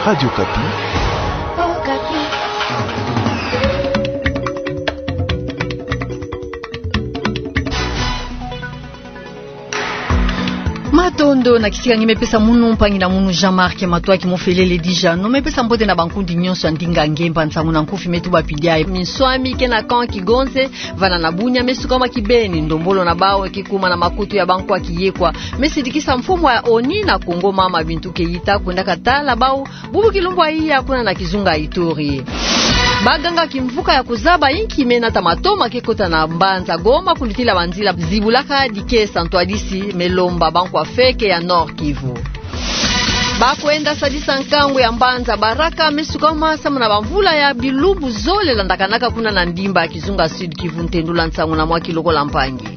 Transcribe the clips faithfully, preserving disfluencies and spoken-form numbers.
Radio Okapi. Matondo na kisika nge mepesa munu, mpangi na munu Jean-Marc Matoaki Mofelele Dijano, mepesa mbote na bankundi nyonso ya ndinga ngemba nsangu na nkufi me tuba pidia. Minswami ke na camp Kigonze, vana na Bunia, me sukama kibeni, ndombolo na bau ke kuma na makutu ya bankwa kiyekwa, me sidikisa mfumu ya ONU na Congo Mama Bintou Keita kwenda katala bau bubu kilumbu ya iya kuna na kizunga Ituri. Baganga kimvuka ya kuzaba inki me nata matoma ke kota na mbanza Goma kulutila banzila zibulaka dikesa ntwadisi me lomba bankwa feke ya Nord-Kivu. Bakwenda sadisa nkangu ya mbanza Baraka me sukama samu na bamvula ya bilumbu zole landakanaka kuna na ndimba ya kizunga Sud-Kivu, ntendula nsangu na mwa ki lokola mpangi.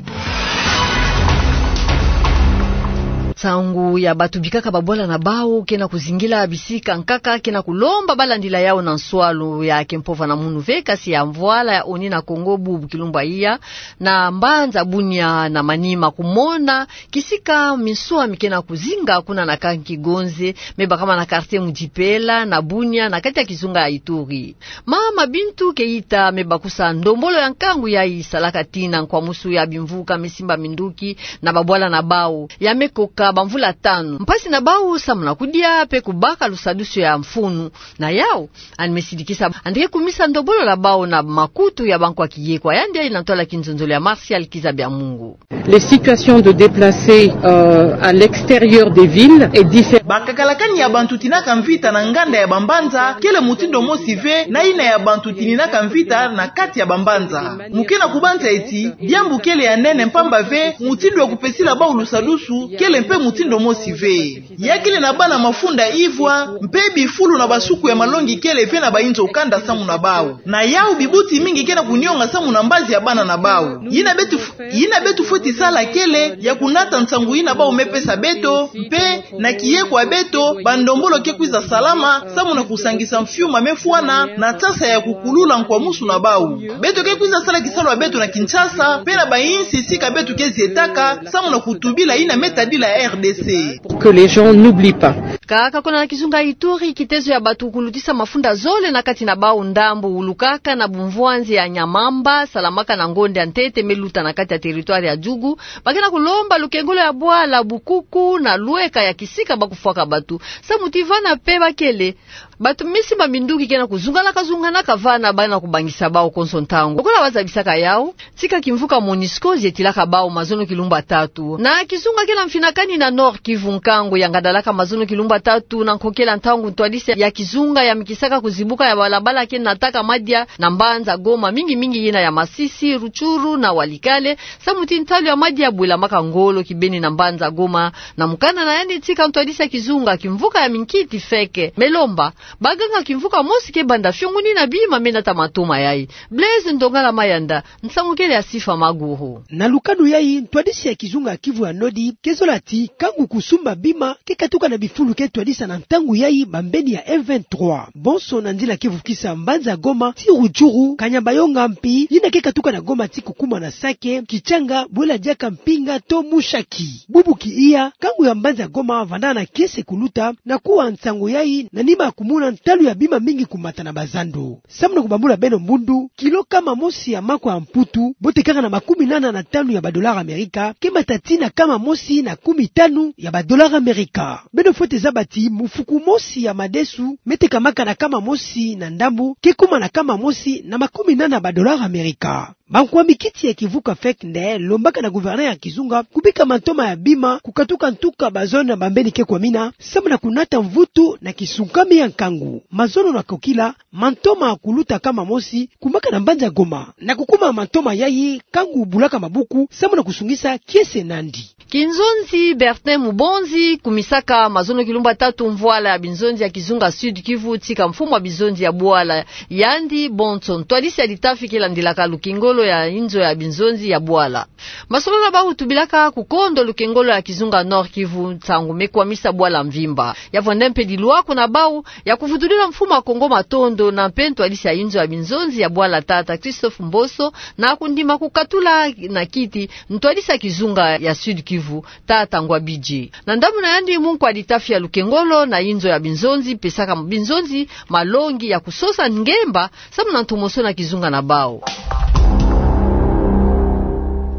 Nsangu ya batu bikaka babwala na bau ke na kuzingila bisika nkaka ke na kulomba balandila yau na nswalu ya ke mpovana munu ve, kasi ya mvwala ya ONU na Congo bubu kilumbu ya iya, na mbanza Bunia na Maniema kumona kisika minswami ke na kuzinga kuna na camp Kigonze, me bakama na quartier Mudjipela na Bunia na kati ya kizunga ya Ituri. Mama Bintou Keita me bakusa ndombolo ya nkangu yayi salaka tina nkwamusu ya bimvuka me simba minduki na babwala na bau ya me koka bamvula tanu. Mpasi na bau samu na kudia pe kubaka lusadusu ya mfunu. Na yau, yandi me sidikisa yandi ke kumisa ndombolo ya bau na makutu ya bankwa kiyekwa. Yandi yayi na ntwala ya kinzonzolo ya Martial Kiza Biamungu. Les situations de déplacés, euh, à l'extérieur des villes est différente. Bakakalakani ya bantu tinaka mvita na nganda ya bambanza kele mutindo mosi ve na yina ya bantu tininaka mvita na kati ya bambanza. Mu ke na kubanza ti diambu kele ya nene mpamba ve, mutindo ya kupesila bau lusadusu kele mpe mutindo mosi ve. Ya kele na bana mafunda ivwa, mpe bifulu na basuku ya malongi kele ve na bayinzo kanda samu na bau. Na yau bibuti mingi ke na kunionga samu na mbazi ya bana na bau. Yina betu f-, yina betu fweti sala kele ya kunata nsangu yina bau me pesa beto, mpe na kiyekwa beto, bandombolo ke kwiza salama samu na kusangisa mfiuma me fwana na nsasa ya kukulula nkwamusu na bau. Beto ke kwiza sala kisalu ya beto na Kinshasa, mpe na bayinsi sika beto ke zietaka, samu na kutubila yina me tadila R D C. Que les gens n'oublient pas. Kaka kuna na kizunga Ituri, kitezo ya batu kulutisa mafunda zole na kati na bau ndambu wulukaka na bumvwanzi ya Nyamamba, salamaka na ngonde ya ntete me luta na kati ya territoire ya Djugu, ba ke na kulomba lukengolo ya bwala, bukuku na lweka ya kisika ba kufwaka batu. Samu ti vana pe ba kele, batu me simba minduki ke na kuzunganaka-zunganaka vana, ba na kubangisa bau konso ntangu. Lokola bazabisaka yau, tika kimvuka MONUSCO zietilaka bau mazono kilumbu ya tatu. Na kizunga ke na mfinakani na Nord-Kivu, nkangu ya ngadalaka mazono kilumbu ya tatu na nkokela ntangu ntwadisi ya kizunga ya mikisaka kuzibuka ya balabala ke nataka madia na mbanza Goma, mingi-mingi yina ya Masisi, Rutshuru na Walikale, samu ti ntalu ya madia bwelamaka ngolo kibeni na mbanza Goma. Na mukanda na yandi tika ntwadisi ya kizunga, kimvuka ya minkiti feke me lomba baganga kimvuka mosi ke banda fiongunina bima me nata matoma yayi. Blaise Ndongala Mayanda, nsangu kele ya Sifa Maguru. Na lukanu yayi, ntwadisi ya kizunga Kivu ya Nord ke zola ti nkangu kusumba bima ke katuka na bifulu ke twadisa na ntangu yayi bambeni ya M vingt-trois. Bonso na nzila ke vukisa mbanza Goma ti Rutshuru, Kanyabayonga, mpi yina ke katuka na Goma ti kukuma na Sake, Kitshanga, Bwela Diaka, Mpinga to Mushaki. Bubu ki iya, nkangu ya mbanza Goma vanda na kiese kuluta, na kuwa nsangu yayi na nima ya kumona ntalu ya bima mingi kumata na bazando. Samu na kubambula beno mbundu, kilo kama mosi ya makwa ya Mputu, botekaka na makumi nana na tanu ya ba dollars Amerika, ke mata ti na kama mosi na kumi tanu ya ba dollars Amerika. Beno fwete zaba ti mufuku mosi ya madesu me tekamaka na kama mosi na ndambu ke kuma na kama mosi na makumi nana ba dollars Amerika. Bankwa mikiti ya kivuka feke nde lombaka na gouverneur ya kizunga kubika mantoma ya bima kukatuka ntuka ba zone na bambeni ke kwamina, samu na kunata mvutu na kisukami ya nkangu. Mazono na kokila, mantoma kuluta kama mosi kumaka na mbanza Goma. Na kukuma mantoma yayi, nkangu bulaka mabuku samu na kusungisa kiese nandi. Kinzonzi Bertin Mubonzi, kumisaka mazono kilumbu ya tatu mvwala ya binzonzi ya kizunga Sud-Kivu, tika mfumu ya binzonzi ya bwala yandi bonso, ntwadisi ya litafi ke landilaka lukengolo ya inzo ya binzonzi ya bwala. Masolo na bau tubilaka kukondo lukengolo ya kizunga Nord-Kivu, nsangu me kwamisa bwala mvimba. Ya vwanda mpe dilwako na bau ya kuvutudila mfumu ya Kongo matondo na mpe ntwadisi ya inzo ya binzonzi ya bwala, tata Christophe Mboso, na kundima kukatula na kiti ntwadisi ya kizunga ya Sud-Kivu. Kivu, tata Ngwa Bidje. Na ndambu na yandi, munkwa litafi ya Lukengolo na inzo ya binzonzi pesaka binzonzi malongi ya kusosa ngemba, samu na ntomosono ya kizunga na bau.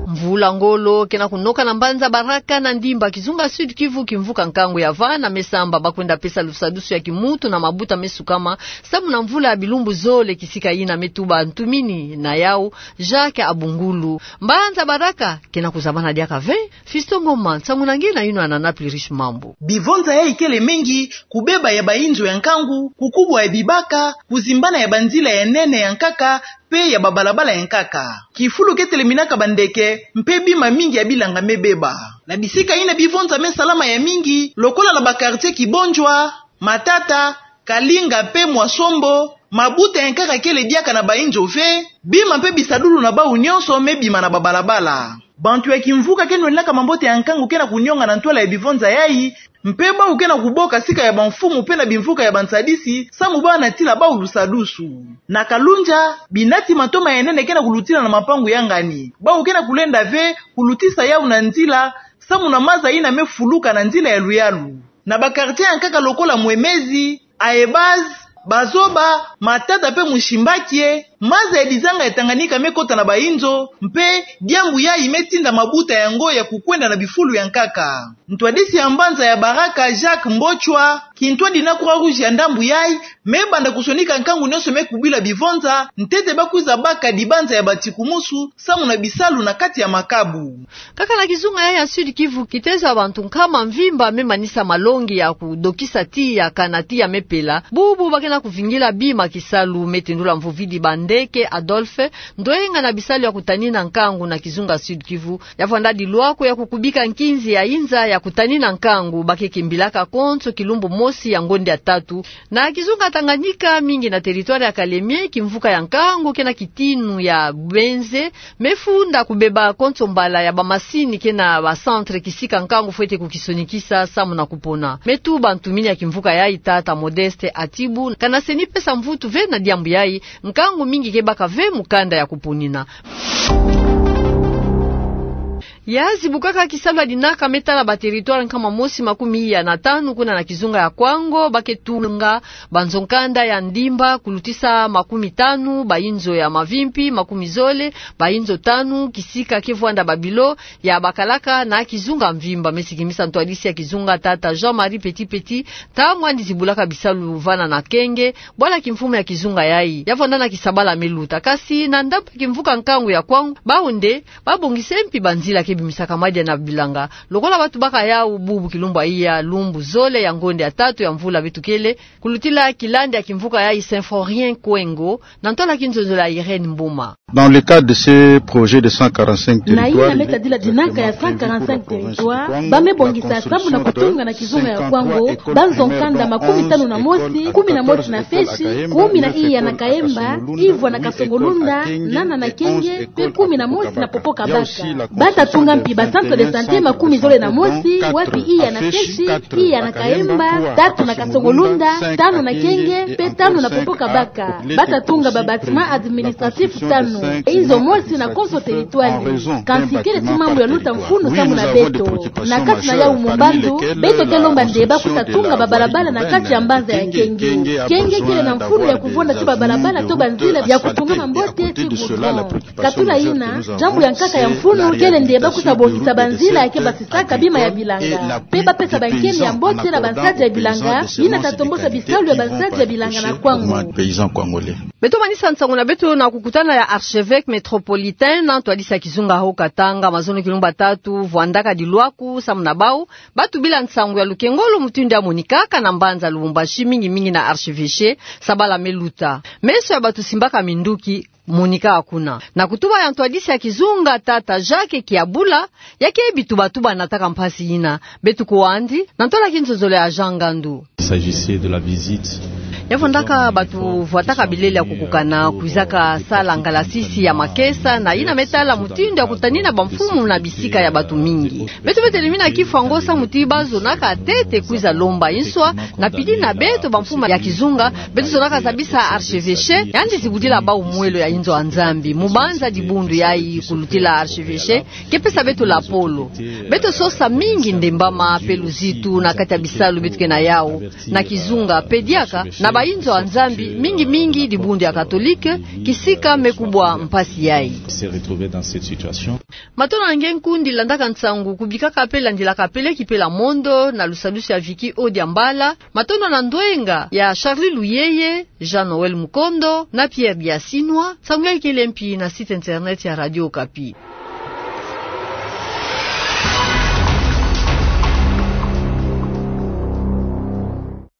Mvula ngolo kena kunoka na mbanza Baraka na Ndimba, kizunga Sud-Kivu, kimvuka nkangu ya vana me samba ba kwenda pesa lusadusu ya kimuntu na mabuta me sukama, samu na mvula ya bilumbu zole kisika yina. Me tuba ntumini na yau, Jacques Abungulu. Mbanza Baraka kena kuzabana diaka ve. Fiston Ngoma, nsangu na nge na yino na Napoli Riche Mambu. Bivonza yai kele mengi: kubeba ya bainzo ya nkangu, kukubwa ya bibaka, kuzimbana ya banzila ya nene ya nkaka mpe ya babalabala ya nkaka. Kifulu keteleminaka bandeke mpe bima mingi ya bilanga me beba. Na bisika yina bivonza me salama ya mingi, lokola na ba quartier Kibondjwa, Matata, Kalinga mpe Mwasombo, mabuta ya nkaka kele diaka na bainzo ve, bima mpe bisadulu na bau nyonso me bima na babalabala. Bantu ya kimvuka ke nwenaka mambote ya nkangu kena kunionga na ntwala ya bivonza yai, mpe bau kena kuboka sika ya bamfumu mpe na bimvuka ya bansadisi, samu ba natila bau lusadusu. Na Kalundja, binati matoma ya nene kena kulutila na mapangu ya ngani. Bau kena kulenda ve kulutisa yau na nzila, samu na maza yina me fuluka na nzila ya luyalu. Na ba quartier ya nkaka lokola Mwemezi, Aebaz, Bazoba, Matata mpe Mushimbakie, maza ya dizanga ya Tanganyika me kota na bainzo, mpe diambu yai me tinda mabuta yango ya kukwenda na bifulu ya nkaka. Ntwadisi ya mbanza ya Baraka, Jacques Mbochwa, kintwadi na Croix-Rouge ya ndambu yai, me banda kusonika nkangu nyonso me kubila bivonza, ntete ba kwiza baka dibanza ya batikumusu, samu na bisalu na kati ya makabu. Kaka na kizunga yai ya Sud-Kivu, kitezo ya bantu nkama mvimba me manisa malongi ya kudokisa tiya kana tiya me pela. Bubu ba kena kuvingila bima kisalu, me tendula Mvovidi Bandeke Adolphe, ndwenga na bisalu ya kutanina nkangu na kizunga Sud-Kivu, ya vwanda dilwako ya kukubika nkinzi ya inza ya kutanina nkangu, ba ke kimbilaka konso kilumbu mosi ya ngonde ya tatu. Na kizunga Tanganyika, mingi na territoire ya Kalemie, kimvuka ya nkangu kena kitinu ya bwenze, me funda kubeba konso mbala ya bamasini kena ba centre kisika nkangu fwete kukisonikisa samu na kupona. Me tuba ntumini ya kimvuka yai, tata Modeste Atibu, kana seni pesa mvutu ve na diambu yai, nkangu mingi ke baka ve mukanda ya kuponina. Ya zibukaka kisalu ya dinaka me tala ba territoire nkama mosi makumi iya na tanu kuna na kizunga ya Kwango, ba ke tunga banzo-nkanda ya Ndimba, kulutisa makumi tanu, bainzo ya mavimpi makumi zole, bainzo tanu, kisika ke vwanda ba bilo ya bakalaka na kizunga mvimba. Me sikimisa ntwadisi ya kizunga, tata Jean-Marie Petit Petit, ntangu yandi zibulaka bisalu vana na Kenge, bwala kimfumu ya kizunga yai, ya vwanda na kisabala me luta. Kasi na ndambu ya kimvuka nkangu ya Kwango, bau nde ba bongisa mpi banzila ke bimisaka madia na bilanga. Lokola ba tubaka yau, bubu kilumbu ya iya, lumbu zole ya ngonde ya tatu ya mvula beto kele, kulutila kilandi ya kimvuka yai, Symphorien Kwengo, na ntwala kinzonzolo ya Irène Mboma. Dans le cadre de ce projet de cent quarante-cinq territoires, na yina me tadila dinaka ya cent quarante-cinq territoires, ba me bongisa samu na kutunga na kizunga ya Kwango banzo-nkanda makumi tanu na mosi, kumi na mosi na Feshi, kumi na iya na Kaemba, ivwa na Kasongolunda, nana na Kenge, mpe kumi na mosi na Popo-Kabaka. Ba ta tunga mpi ba centre de santé makumi zole na mosi, wapi iya na Feshi, iya na Kaemba, tatu na Kasongolunda, tanu na Kenge, mpe tanu na Popo-Kabaka. Ba ta tunga ba bâtiments administratifs tanu, inzo mosi na konso territoire. Kansi kele ti mambu ya luta mfunu samu na beto. Na kati na yau, mu mbandu, beto ke lomba nde ba kwiza tunga babalabala na kati ya mbanza ya Kenge. Kenge kele na mfunu ya kuvonda ti babalabala to banzila ya kutungama mbote ti goudron. Katula yina, diambu ya nkaka ya mfunu kele nde ba kwiza bongisa banzila ya ke basisaka bima ya bilanga, mpe ba pesa bankeni ya mbote na bansadi ya bilanga, yina ta tombosa bisalu ya bansadi ya bilanga na Kwango. Beto manisa nsangu na beto na kukutana ya archevêque métropolitain na ntwadisi ya kizunga Haut-Katanga, mazono kilumbu tatu vwandaka dilwaku samu na bau ba tubila nsangu ya Lukengolo mutindu ya monikaka na mbanza Lubumbashi, mingi mingi na archevêché, sabala me luta. Meso ya bato simbaka minduki, monika kuna. Na kutuba ya ntwadisi ya kizunga, tata Jacques Kiabula, ya ke bituba tuba na taka mpasi yina. Beto kwe yandi, na ntwala kinzonzolo ya Jean Ngandu. Il s'agissait de la visite Ya fondaka bato vwataka bilele ya kukukana, kwizaka sala ngalasisi ya makesa, na yina me tala mutindu ya kutanina bamfumu na bisika ya bato mingi. Beto beto telemina ki fwa ngo samu ti ba zonaka ntete kwiza lomba inswa, na pili na beto bamfumu ya kizunga, beto zonaka zabisa archevêché, yandi zibudila bau mwelo ya inzo ya Nzambi, mubanza dibundu yayi kulutila archevêché, ke pesa beto lapolo. Beto sosa mingi ndembama pe luzitu na kati ya bisalu beto ke na yau, na kizunga, pe diaka, na ba inzo ya Nzambi, mingi mingi dibundu ya katolike, kisika me kubwa mpasi yayi. Matondo na nge nkundi landaka nsangu, kubikaka pe landilaka pe leki pe la mondo, na lusadusu ya Vicky Odiambala, matondo na ndwenga ya Charlie Luyeye, Jean Noël Mukondo, na Pierre Biasinwa, nsangu yayi kele mpi na site internet ya Radio Okapi.